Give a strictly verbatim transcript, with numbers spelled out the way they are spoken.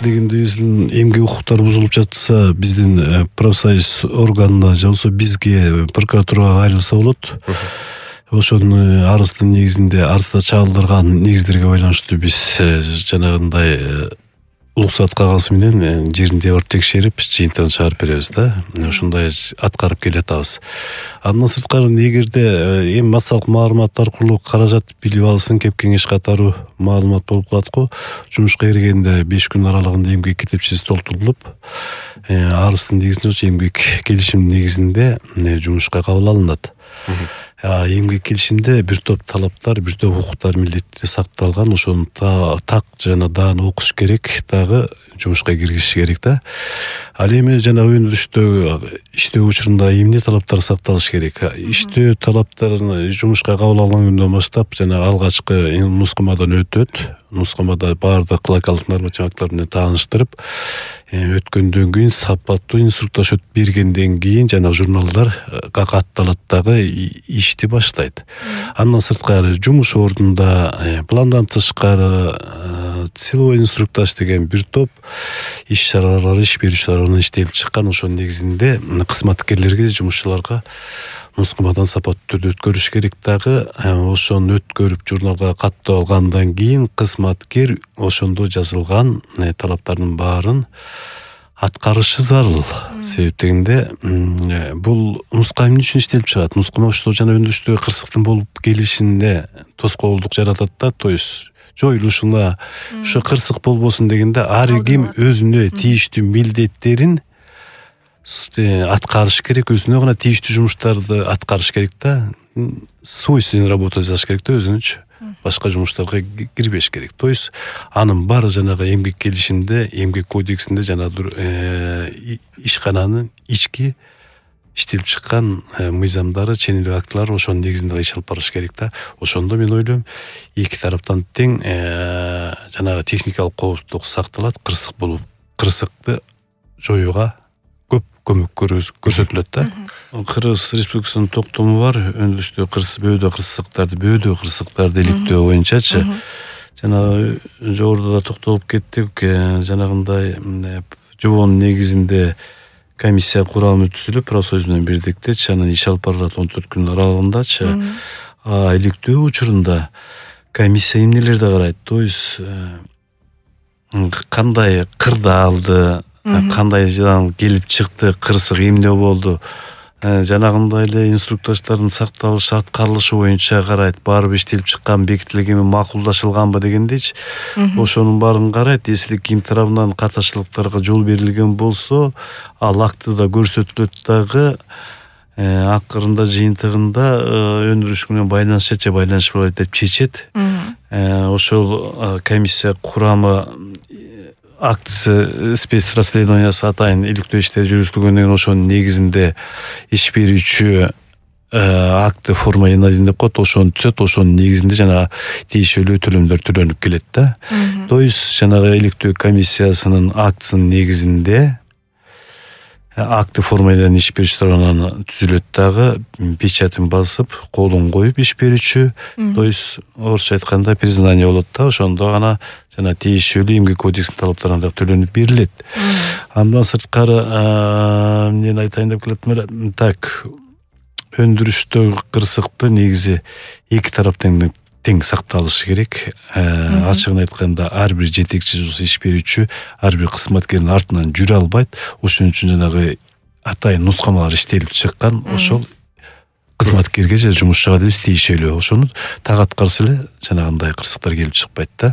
дегенде эмгек укуктары бузулуп жатса биздин профсоюз органына же болбосо бизге прокуратурага кайрылса болот. Ошонун арыздын негизинде арызда чагылдырган негиздерге байланыштуу биз жанагындай уруксат кагазы менен жеринде барып текшерип жыйынтыгын чыгарып беребиз да. Ошондой аткарып келатабыз. Андан сырткары эгерде эми массалык маалымат аркылуу каражат билип алсын, кеп кеңеш катары маалымат болуп калат го. Жумушка киргенде беш күн аралыгында эмгек китепчеси толтурулуп, арыздын негизинде эмгек келишим негизинде жумушка кабыл алынат. Эмгек келишимде бир топ талаптар, бир топ укуктар, милдеттер сакталган. Ошону так жана даана окуш керек, дагы жумушка киргизиш керек да. Ал эми жана өндүрүштө иштөө учурунда эмне талаптар сакталыш керек? Иштөө талаптарын жумушка кабыл алган күндөн баштап жана алгачкы нускамадан өтөт. Нускамада баардык локалдык норматив актылар менен тааныштырып, өткөндөн кийин сапаттуу инструктаж бергенден кийин жана журналдар катталат, дагы ишти баштайт. Андан сырткары жумуш ордунда пландан тышкары силовой инструктаж деген бир топ иш чаралар, иш берүүчүлөр иштелип чыккан. Ошонун негизинде кызматкерлерге, жумушчуларга нускамадан сапаттуу түрдө өткөрүш керек. Дагы ошону өткөрүп журналга каттап алгандан кийин кызматкер ошондо жазылган талаптардын баарын аткарышы зарыл. Себеп дегенде бул нускама эмне үчүн иштелип чыгат? Нускама ошто жана өндүрүштөгү кырсыктын болуп келишинде тоскоолдук жаратат да, то есть жоюлушуна ошо кырсык болбосун дегенде ар ким өзүнө тийиштүү милдеттерин аткарыш керек, өзүнө гана тийиштүү жумуштарды аткарыш керек да. Свойственный работа жасаш керек да, өзүнүчө. Башка жумуштарга кирбеш керек. То есть анын баары жанагы эмгек келишимде, эмгек кодексинде жана ишкананын ички иштелип чыккан мыйзамдары, ченемдик актылары ошонун негизинде иш алып барыш керек да. Ошондо мен ойлойм, эки тараптан тең жанагы техникалык коопсуздук сакталат, кырсык болуп, кырсыкты жоюуга көп көмөк көрсөтүлөт да. Кыргыз Республикасынын токтому бар, өндүрүштө кырсык, бөөдө кырсыктарды, бөөдө кырсыктарды иликтөө боюнчачы. Жана жогоруда да токтолуп кеттик, жанагындай жобонун негизинде комиссия курамы түзүлүп, профсоюз менен бирдикте анан иш алып барат он төрт күн аралыгындачы. А иликтөө учурунда комиссия эмнелерди карайт? То есть кандай кырдаалды, кандай жадан келип чыкты, кырсык эмне болду, жанагындай эле инструктаждардын сакталышы, аткарылышы боюнча карайт. Барып иштелип чыккан, бекитилгенби, макулдашылганбы дегендейчи. Ошонун баарын карайт. Эсилик ким тарабынан катачылыктарга жол берилген болсо, ал актыда көрсөтүлөт, дагы акырында жыйынтыгында өндүрүш менен байланышчы, байланышпайт деп чечет. Ошол комиссия курамы актысы спецрасследованиясы атайын иликтөө иштери жүргүзүлгөндөн кийин ошонун негизинде иш берүүчү акты форма один деп коет, ошону түзөт. Ошонун негизинде жана тийишелүү төлөмдөр төлөнүп келет да. То есть жанагы иликтөө комиссиясынын актысынын негизинде акты формаларын иш берүүчү тарабынан түзүлөт, дагы печатын басып, колун коюп иш берүүчү, то есть орусча айтканда признание болот да. Ошондо гана жана тийишелүү эмгек кодексинин талаптарына төлөнүп берилет. Андан сырткары эмнени айтайын деп келатым эле, так өндүрүштөгү кырсыкты негизи эки тараптын тең сакталышы керек. Ачыгын айтканда ар бир жетекчи иш берүүчү ар бир кызматкердин артынан жүрө албайт. Ошон үчүн жанагы атайын нускамалар иштелип чыккан, ошол кызматкерге же жумушчуга деп тийишелүү. Ошону так аткарса эле жанагындай кырсыктар келип чыкпайт да.